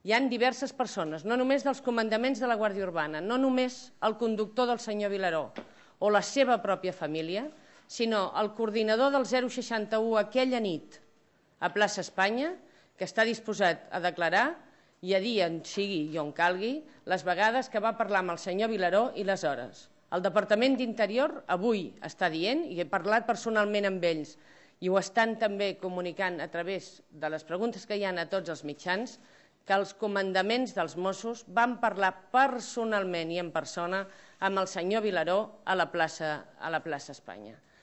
hi ha diverses persones, no només dels comandaments de la Guàrdia Urbana, no només el conductor del senyor Vilaró o la seva pròpia família, sinó el coordinador del 061 aquella nit a plaça Espanya, que està disposat a declarar i a dir on sigui i on calgui les vegades que va parlar amb el senyor Vilaró i les hores. El Departament d'Interior avui està dient, i he parlat personalment amb ells, i ho estan també comunicant a través de les preguntes que hi ha a tots els mitjans, que els comandaments dels Mossos van parlar personalment i en persona amb el senyor Vilaró a la plaça Espanya.